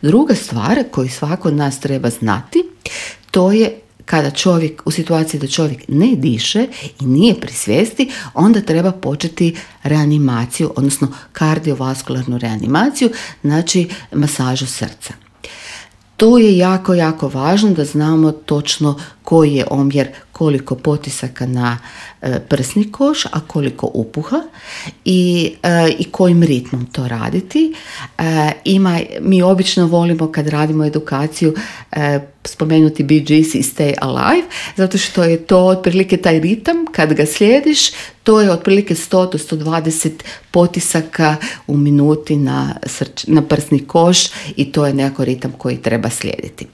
Druga stvar koju svako od nas treba znati, to je kada čovjek, u situaciji da čovjek ne diše i nije pri svijesti, onda treba početi reanimaciju, odnosno kardiovaskularnu reanimaciju, znači masažu srca. To je jako, jako važno da znamo točno koji je omjer, koliko potisaka na prsni koš, a koliko upuha i kojim ritmom to raditi. Mi obično volimo kad radimo edukaciju spomenuti Bee Gees i Stay Alive, zato što je to otprilike taj ritam, kad ga slijediš, to je otprilike 100 do 120 potisaka u minuti na prsni koš i to je nekako ritam koji treba slijediti.